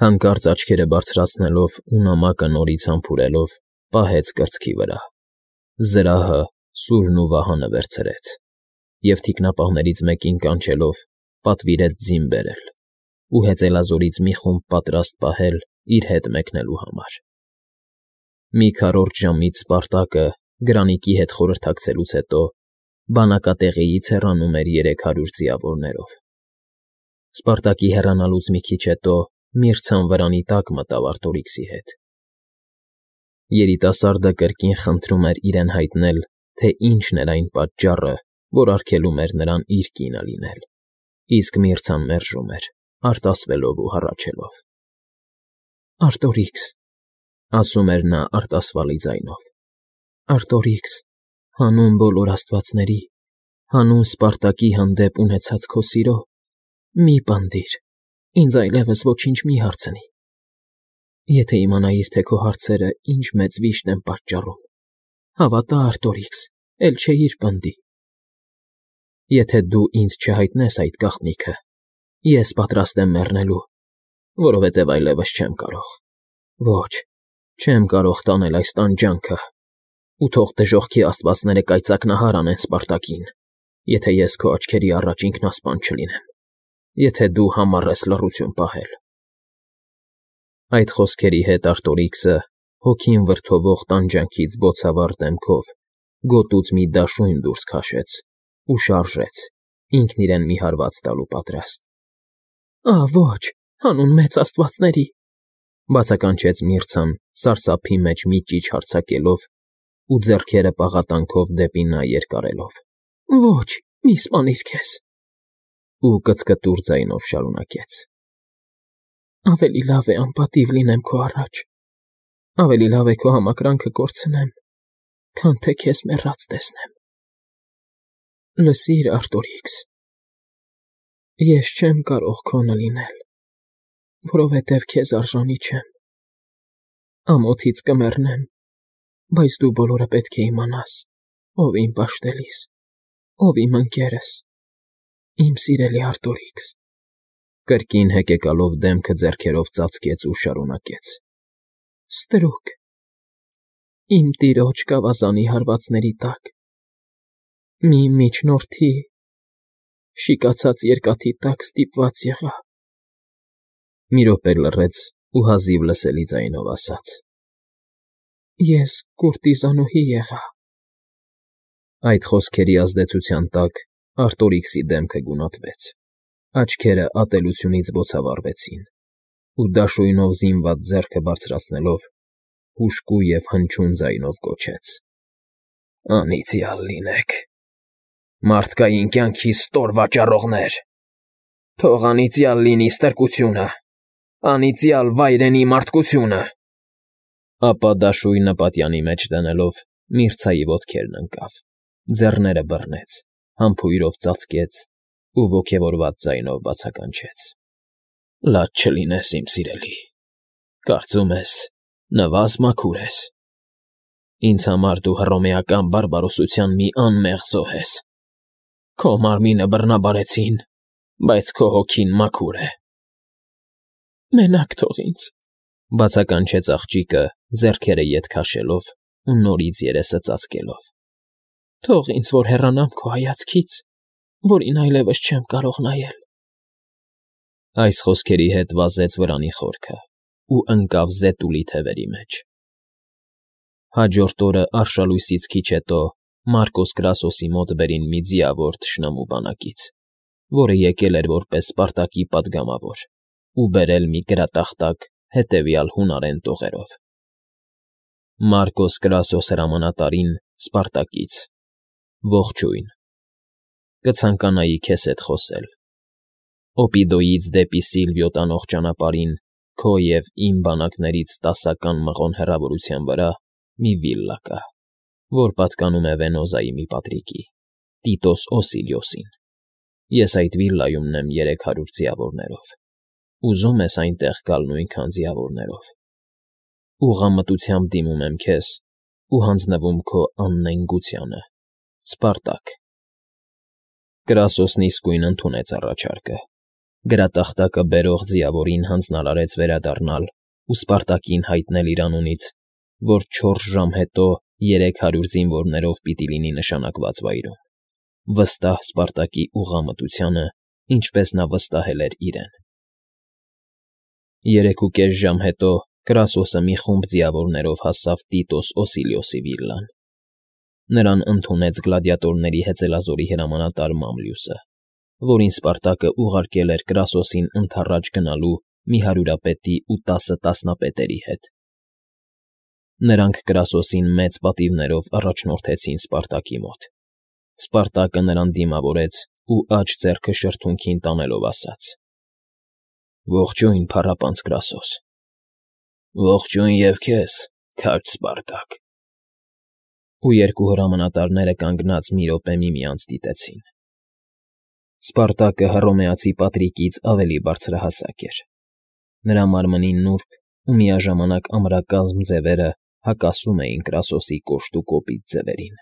Հանկարծ աչքերը բարձրացնելով ու նամակը նորից համբուրելով, պահեց կրծքի վրա, զրահը, սուրն ու վահանը վերցրեց և թիկնապահներից մեկին կանչելով պատվիրեց ձին բերել ու հեծելազորից մի խումբ պատրաստ պահել իր հետ մեկնելու համար։ Մի քառորդ ժամից Սպարտակը, Գրանիկի հետ խորհրդակցելուց հետո, բանակատեղիից հեռանում էր 300 ձիավորներով։ Սպարտակի հեռանալուց մի քիչ հետո Միրցան վրանի տակ մտավ Արտորիքսի հետ։ Երիտասարդը կրկին խնդրում էր իրեն հայտնել, թե ինչն էր այն պատճառը, որ արգելում էր նրան իր կինը լինել, իսկ Միրցան մերժում էր, արտասվելով ու հառաչելով։ «Արտորիքս,֊ ասում էր նա արտասվալի ձայնով,֊ Արտորիքս, հանուն բոլոր աստվածների, հանուն Սպարտակի հանդեպ ունեցած քո սիրո, մի՛ պնդիր, ինձ այլևս ոչինչ մի՛ հարցնի։ Եթե իմանայիր, թե քո հարցերը ինչ մեծ վիշտ են պատճառում, հավատա, Արտորիքս, էլ չէիր պնդի։ Եթե դու ինձ չհայտնես այդ գաղտնիքը, ես պատրաստ եմ մեռնելու, որովհետև այլևս չեմ կարող, ոչ, չեմ կարող տանել այս տանջանքը, ու թող դժոխքի աստվածները կայծակնահար անեն Սպարտակին, եթե ես քո աչքերի առաջ ինքնասպան չլինեմ, եթե դու համառ ես լռություն պահել»։ Այդ խոսքերի հետ Արտորիքսը, հոգին վրդովող տանջանքից բոցավառ դեմքով, գոտուց մի դաշույն դուրս քաշեց ու շարժեց, ինքն իրեն մի հարված տալու պատրաստ։ «Ա՜, ոչ, հանուն մեծ աստվածների,֊ բացականչեց Միրցան սարսափի մեջ մի ճիչ հարձակելով ու ձեռքերը պաղատանքով դեպի նա երկարելով,֊ ոչ, մի՛ սպանիր քեզ»։ Ու կծկտուր ձայնով շարունակեց. «Ավելի լավ է անպատիվ լինեմ քո առաջ, ավելի լավ է քո համակրանքը կորցնեմ, քան թե քեզ մեռած տեսնեմ։ Լսիր, Արտորիքս, ես չեմ կարող քոնը լինել, որովհետև քեզ արժանի չեմ։ Ամոթից կմեռնեմ, բայց դու բոլորը պետք է իմանաս, ով իմ պաշտելիս, ով իմ ընկերս, իմ սիրելի Արտորիքս»։ Կրկին հեկեկալով դեմքը ձեռքերով ծածկեց ու շարունակեց. «Ստրուկ, իմ տիրոջ գավազանի հարվածների տակ, մի միջնորդի, շիկացած երկաթի տակ ստիպված եղա»։ Մի րոպե լռեց ու հազիվ լսելի ձայնով ասաց. «Ես կուրտիզանուհի եղա»։ Այդ խոսքերի ազդեցության տակ Արտորիքսի դեմքը գունատվեց, աչքերը ատելությունից բոցավառվեցին, ու դաշույնով զինված ձեռքը բարձրացնելով, հուժկու և հնչյուն ձայնով գոչեց. «Անիծյալ լինեք, մարդկային կյանքի ստոր վաճառողներ, թող անիծյալ լինի ստրկությունը, անիծյալ վայրենի մարդկությունը»։ Ապա դաշույնը պատյանի մեջ դնելով Միրցայի ոտքերն ընկավ, ձեռները բռնեց, համբույրով ծածկեց ու ոգևորված ձայնով բացականչեց. «Լաց չլինես, իմ սիրելի, կարծում ես նվազ մաքուր ես։ Ինձ համար դու հռոմեական բարբարոսության մի անմեղ զոհ ես։ Քո մարմինը բռնաբարեցին, բայց քո հոգին մաքուր է»։ «Մենակ թող ինձ,֊ բացականչեց աղջիկը, ձեռքերը ետ քաշելով ու նորից երեսը ծածկելով,֊ թող ինձ, որ հեռանամ քո հայացքից, որին այլևս չեմ կարող նայել»։ Այս խոսքերի հետ վազեց վրանի խորքը ու ընկավ զետուլի թևերի մեջ։ Հաջորդ օրը արշալույսից քիչ հետո Մարկոս Կրասոսի մոտ բերին մի ձիավոր թշնամու բանակից, որը եկել էր որպես Սպարտակի պատգամավոր ու բերել մի գրատախտակ հետևյալ հունարեն տողերով. Մարկոս Կրասոս հրամանատարին Սպարտակից, ողջույն, կցանկանայի քեզ հետ խոսել։ Օպիդոյից դեպի Սիլվիո տանող ճանապարհին քո և իմ բանակներից 10 մղոն հեռավորության վրա մի վիլլա կա, որ պատկանում է Վենոզայի մի պատրիկի, Տիտոս Օսիլիոսին։ Ես այդ վիլլայում ունեմ 300 ձիավորներով։ Ուզում ես այնտեղ գալ նույնքան ձիավորներով։ Ուղղամտությամբ դիմում եմ քեզ ու հանձնվում քո աննենգությանը, Սպարտակ։ Կրասոսն իսկույն ընդունեց առաջարկը գրատախտակը բերող ձիավորին հանձնարարեց վերադառնալ ու Սպարտակին հայտնել իր անունից, որ 4 ժամ հետո 300 զինվորներով պիտի լինի նշանակված վայրում, վստահ Սպարտակի ուղղամտությանը, ինչպես նա վստահել էր իրեն։ 3.5 ժամ հետո Կրասոսը մի խումբ ձիավորներով հասավ Տիտոս Օսիլիոսի վիլլան։ Նրան ընդունեց գլադիատորների հեծելազորի հրամանատար Մամլիուսը, որին Սպարտակը ուղարկել էր Կրասոսին ընդառաջ գնալու մի հարյուրապետի ու 10 տասնապետերի հետ։ Նրանք Կրասոսին մեծ պատիվներով առաջնորդեցին Սպարտակի մոտ։ Սպարտակը նրան դիմավորեց ու աջ ձեռքը շրթունքին տանելով ասաց. «Ողջույն, փառապանծ Կրասոս»։ «Ողջույն և քեզ, քաջ Սպարտակ»։ Ու երկու հրամանատարները կանգնած մի րոպե միմյանց դիտեցին։ Սպարտակը հռոմեացի Պատրիկից ավելի բարձրահասակ էր։ Նրա մարմնի նուրբ ու միաժամանակ ամրակազմ ձևերը հակասում էին Կրասոսի կոշտ ու կոպիտ ձևերին։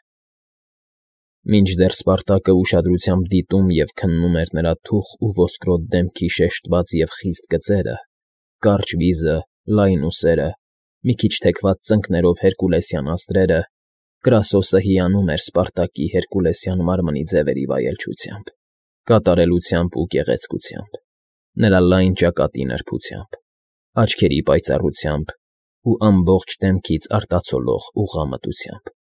Մինչդեռ Սպարտակը ուշադրությամբ դիտում և քննում էր նրա թուխ ու ոսկրոտ դեմքի շեշտված և խիստ գծերը, կարճ վիզը, լայն ուսերը, մի քիչ թեքված ծնկներով հերկուլեսյան անցրերը, Կրասոսը հիանում էր Սպարտակի հերկուլեսյան մարմնի ձևերի վայելչությամբ, կատարելությամբ ու գեղեցկությամբ, նրա լայն ճակատի նրբությամբ, աչքերի պայծառությամբ ու ամբողջ դեմքից արտացոլող ուղղամտությամբ։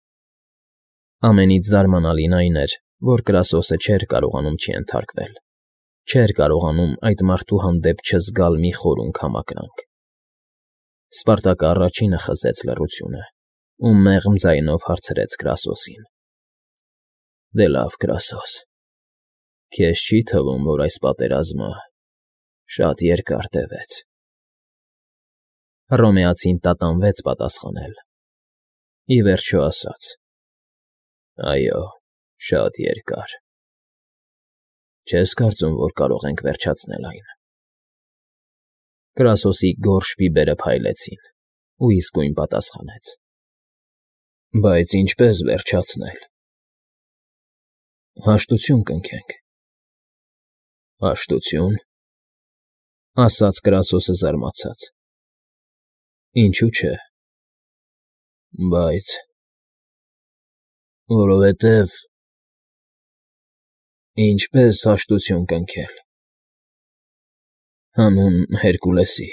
Ամենից զարմանալին այն էր, որ Կրասոսը չէր կարողանում չենթարկվել, չէր կարողանում այդ մարդու հանդեպ չզգալ մի խորուն կամակրանք։ Սպարտակը առաջինը խզեց լռությունը ու մեղմ ձայնով հարցրեց Կրասոսին. «Դե լավ, Կրասոս, քեզ չի՞ թվում, որ այս պատերազմը շատ երկար տևեց»։ Հռոմեացին տատանվեց պատասխանել։ Ի վերջո ասաց. «Այո, շատ երկար»։ Չես կարծում, որ կարող ենք վերջացնել այն։ Կրասոսի գորշ բիբերը փայլեցին, ու իսկույն պատասխանեց. «Բայց ինչպե՞ս վերջացնել»։ «Հաշտություն կնքենք»։ «Հաշտություն», ասաց Կրասոսը զարմացած։ «Ինչու՞ չէ»։ «Բայց… որովհետև…» «Ինչպե՞ս հաշտություն կնքել»։ «Հանուն Հերկուլեսի,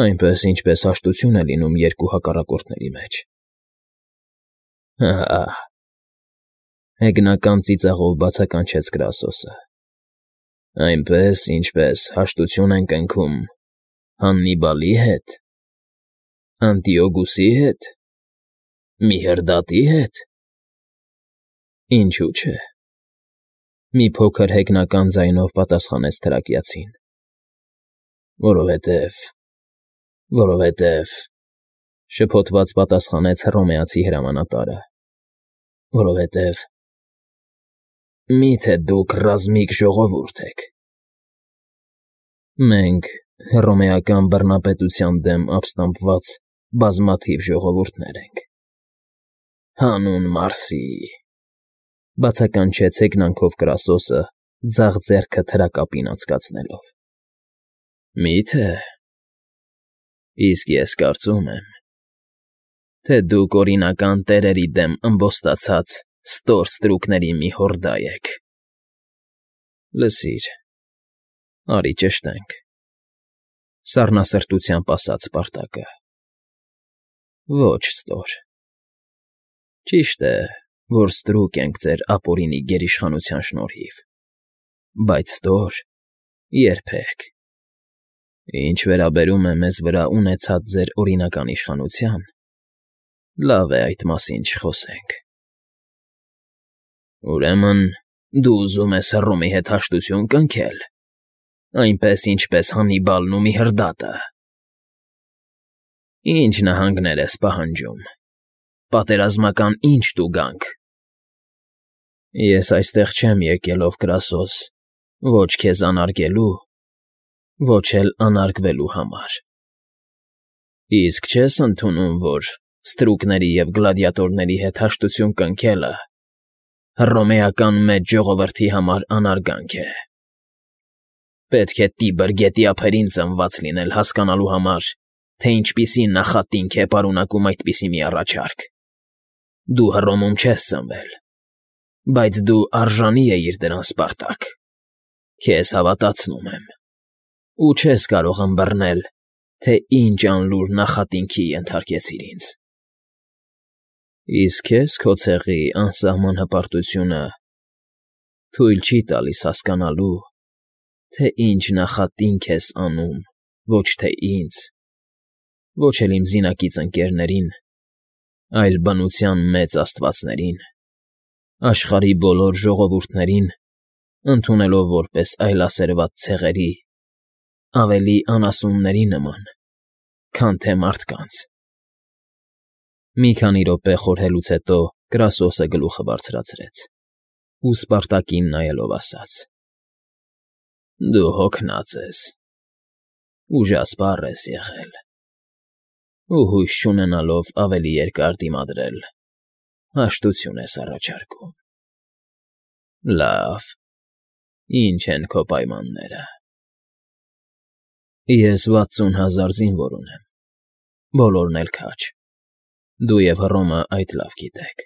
այնպես, ինչպես հաշտություն է լինում երկու հակառակորդների մեջ»։ «Հա՛֊հա՛», հեգնական ծիծաղով բացականչեց Կրասոսը։ «Այնպես, ինչպես հաշտություն են կնքում Հաննիբալի հետ, Անտիոգուսի հետ, Միհրդատի հետ»։ «Ինչու՞ չէ»։ Մի փոքր հեգնական ձայնով պատասխանեց թրակիացին։ «Որովհետև…», շփոթված պատասխանեց հռոմեացի հրամանատարը։ «Որովհետև… Մի՞թե դուք ռազմիկ ժողովուրդ եք»։ «Մենք հռոմեական բռնապետության դեմ ապստամբված բազմաթիվ ժողովուրդներ ենք»։ «Հանուն Մարսի», բացականչեց հեգնանքով Կրասոսը, ձախ ձեռքը թրակապին անցկացնելով։ «Մի՞թե… Իսկ ես կարծում եմ, թե դուք օրինական տերերի դեմ ըմբոստացած ստոր ստրուկների մի հորդա եք»։ «Լսիր, արի ճշտենք», սառնասրտությամբ ասաց Սպարտակը։ «Ոչ ստոր։ Ճիշտ է, որ ստրուկ ենք ձեր ապօրինի գերիշխանության շնորհիվ, բայց ստոր՝ երբեք։ Ինչ վերաբերում է մեզ վրա ունեցած ձեր օրինական իշխանության, լավ է այդ մասին չխոսենք»։ «Ուրեմն դու ուզում ես Հռոմի հետ հաշտություն կնքե՞լ, այնպես, ինչպես Հաննիբալն ու Միհրդատը։ Ի՞նչ նահանգներ ես պահանջում, պատերազմական ի՞նչ տուգանք»։ «Ես այստեղ չեմ եկել, ով Կրասոս, ոչ քեզ անարգելու, ոչ էլ անարգվելու համար։ Իսկ չե՞ս ընդունում, որ ստրուկների և գլադիատորների հետ հաշտություն կնքելը հռոմեական մեծ ժողովրդի համար անարգանք է»։ Պետք է Տիբր գետի ափերին ծնված լինել հասկանալու համար, թե ինչպիսի նախատինք է պարունակում այդպիսի մի առաջարկ։ Դու Հռոմում չես ծնվել, բայց դու արժանի էիր դրան, Սպարտակ։ Քեզ հավատացնում եմ, ու չես կարող ըմբռնել, թե ինչ անլուր նախատինքի ենթարկեցիր ինձ։ Իսկ քեզ քո ցեղի անսահման հպարտությունը թույլ չի տալիս հասկանալու, թե ինչ նախատինք ես անում ոչ թե ինձ, ոչ էլ իմ զինակից ընկերներին, այլ բնության մեծ աստվածներին, աշխարհի բոլոր ժողովուրդներին ընդունելով որպես այլասերված ցեղերի, ավելի անասունների նման, քան թե մարդկանց։ Մի քանի րոպե խորհելուց հետո Կրասոսը գլուխը բարձրացրեց ու Սպարտակին նայելով ասաց. Դու հոգնած ես, ուժասպառ ես եղել, ու հույս չունենալով ավելի երկար դիմադրել, հաշտություն ես առաջարկում։ Լավ, ի՞նչ են քո պայմանները։ Ես 60,000 զինվոր ունեմ, բոլորն էլ քաջ։ Դու և Հռոմը այդ լավ գիտեք։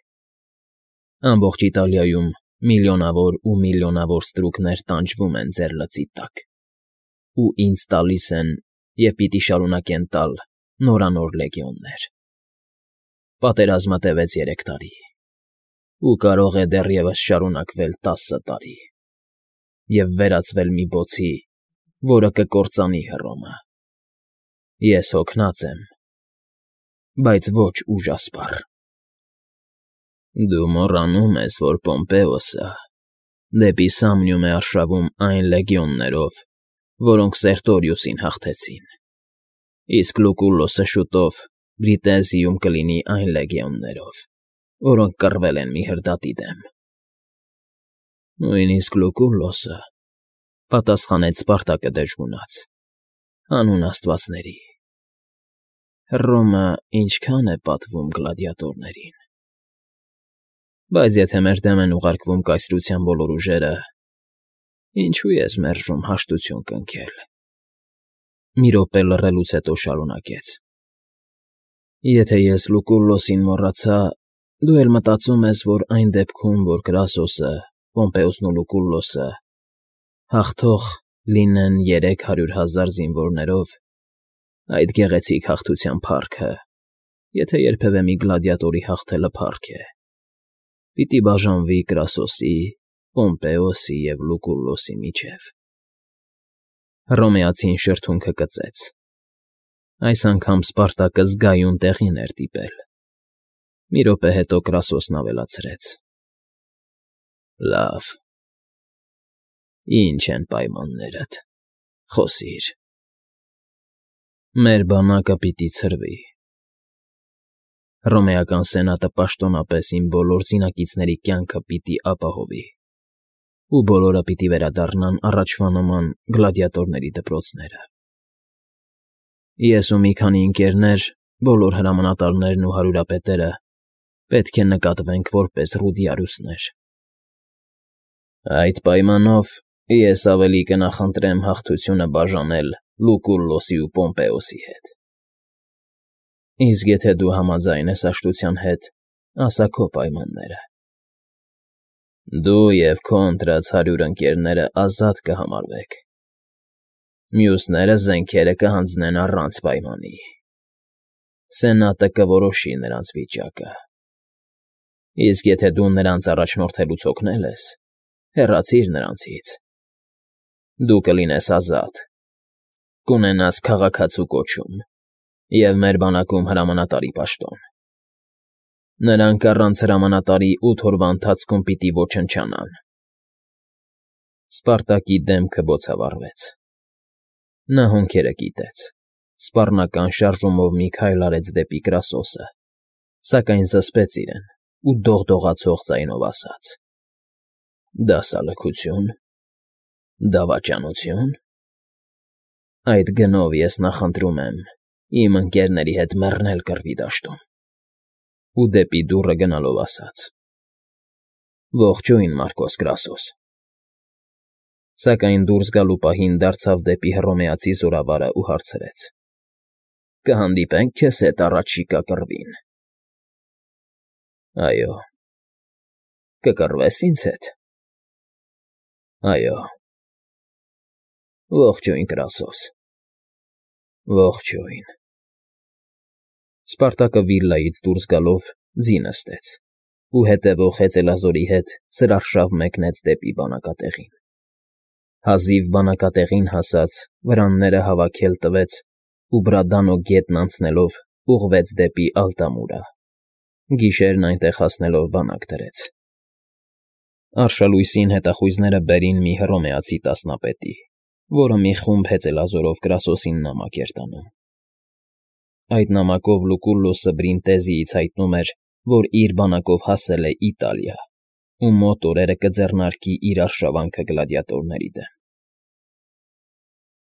Ամբողջ Իտալիայում միլիոնավոր ու միլիոնավոր ստրուկներ տանջվում են ձեր լծի տակ, ու ինձ տալիս են և պիտի շարունակեն տալ նորանոր լեգիոններ։ Պատերազմը տևեց 3 տարի, ու կարող է դեռևս շարունակվել 10 տարի և վերածվել մի բոցի, որը կկործանի Հռոմը։ Ես հոգնած եմ, բայց ոչ ուժասպառ։ Դու մոռանում ես, որ Պոմպեոսը դեպի Սամնիում է արշավում այն լեգիոններով, որոնք Սերտորիուսին հաղթեցին, իսկ Լուկուլոսը շուտով Բրիտեզիում կլինի այն լեգիոններով, որոնք կռվել են մի հրդադի դեմ։ Նույնիսկ Լուկուլոսը,֊ պատասխանեց Սպարտակը դժգունած,֊ հանուն աստվածների, Հռոմը ինչքա՞ն է պատվում գլադիատորներին։ Բայց եթե մեր դեմ են ուղարկվում կայսրության բոլոր ուժերը, ինչո՞ւ ես մերժում հաշտություն կնքել։ Մի րոպե լռելուց հետո շարունակեց. Եթե ես Լուկուլոսին մոռացա, դու էլ մտածում ես, որ այն դեպքում, որ Կրասոսը, Պոմպեոսն ու Լուկուլոսը հաղթող լինեն 300,000 զինվորներով, այդ գեղեցիկ հաղթության փառքը, եթե երբևէ մի գլադիատորի հաղթելը փառք է, պիտի բաժանվի Կրասոսի, Պոմպեոսի և Լուկուլոսի միջև։ Հռոմեացին շրթունքը կծեց։ Այս անգամ Սպարտակը զգայուն տեղին էր դիպել։ Մի րոպե հետո Կրասոսն ավելացրեց. Լավ, ի՞նչ են պայմաններդ, խոսիր։ Մեր բանակը պիտի ցրվի։ Հռոմեական սենատը պաշտոնապես իմ բոլոր զինակիցների կյանքը պիտի ապահովի, ու բոլորը պիտի վերադառնան առաջվա նման գլադիատորների դպրոցները։ Ես ու մի քանի ընկերներ, բոլոր հրամանատարներն ու հարյուրապետերը պետք է նկատվենք որպես ռուդիարուսներ։ Այդ պայմանով ես ավելի կնախընտրեմ հաղթությունը բաժանել Լուկուլոսի ու Պոմպեոսի հետ։ Իսկ եթե դու համաձայն ես հաշտության հետ, ասա քո պայմանները։ Դու և քո ընտրած 100 ընկերները ազատ կհամարվեք։ Մյուսները զենքերը կհանձնեն առանց պայմանի։ Սենատը կորոշի նրանց վիճակը։ Իսկ եթե դու նրանց առաջնորդելուց հոգնել ես, հեռացիր նրանցից։ Դու կլինես ազատ, կունենաս քաղաքացու կոչում և մեր բանակում հրամանատարի պաշտոն։ Նրանք առանց հրամանատարի 8 օրվա ընթացքում պիտի ոչնչանան։ Սպարտակի դեմքը բոցավառվեց։ Նա հոնքերը կիտեց, սպառնական շարժումով մի քայլ արեց դեպի Կրասոսը, սակայն զսպեց իրեն ու դողդողացող ձայնով ասաց. Դասալքությո՞ւն, դավաճանությո՞ւն։ Այդ գնով ես նախընտրում եմ իմ ընկերների հետ մեռնել կռվի դաշտում։ Ու դեպի դուռը գնալով ասաց. Ողջույն, Մարկոս Կրասոս։ Սակայն դուրս գալու պահին դարձավ դեպի հռոմեացի զորավարը ու հարցրեց. «Կհանդիպենք քեզ հետ առաջիկա կռվին»։ ֊ Այո։ ֊ Կկռվե՞ս ինձ հետ։ ֊ Այո։ ֊ Ողջույն, Կրասոս։ ֊ Ողջույն։ Սպարտակը վիլլայից դուրս գալով ձի նստեց ու հետևող հեծելազորի հետ սրարշավ մեկնեց դեպի բանակատեղին։ Հազիվ բանակատեղին հասած, վրանները հավաքել տվեց ու Բրադանո գետն անցնելով ուղղվեց դեպի Ալտամուրա, գիշերն այնտեղ հասնելով բանակ դրեց։ Արշալույսին հետախույզները բերին մի հռոմեացի տասնապետի, որը մի խումբ հեծելազորով Կրասոսին նամակ էր տանում։ Այդ նամակով Լուկուլլուսը Բրինտեզիից հայտնում էր, որ իր բանակով հասել է Իտալիա ու մոտ օրերը կձեռնարկի իր արշավանքը գլադիատորների դեմ։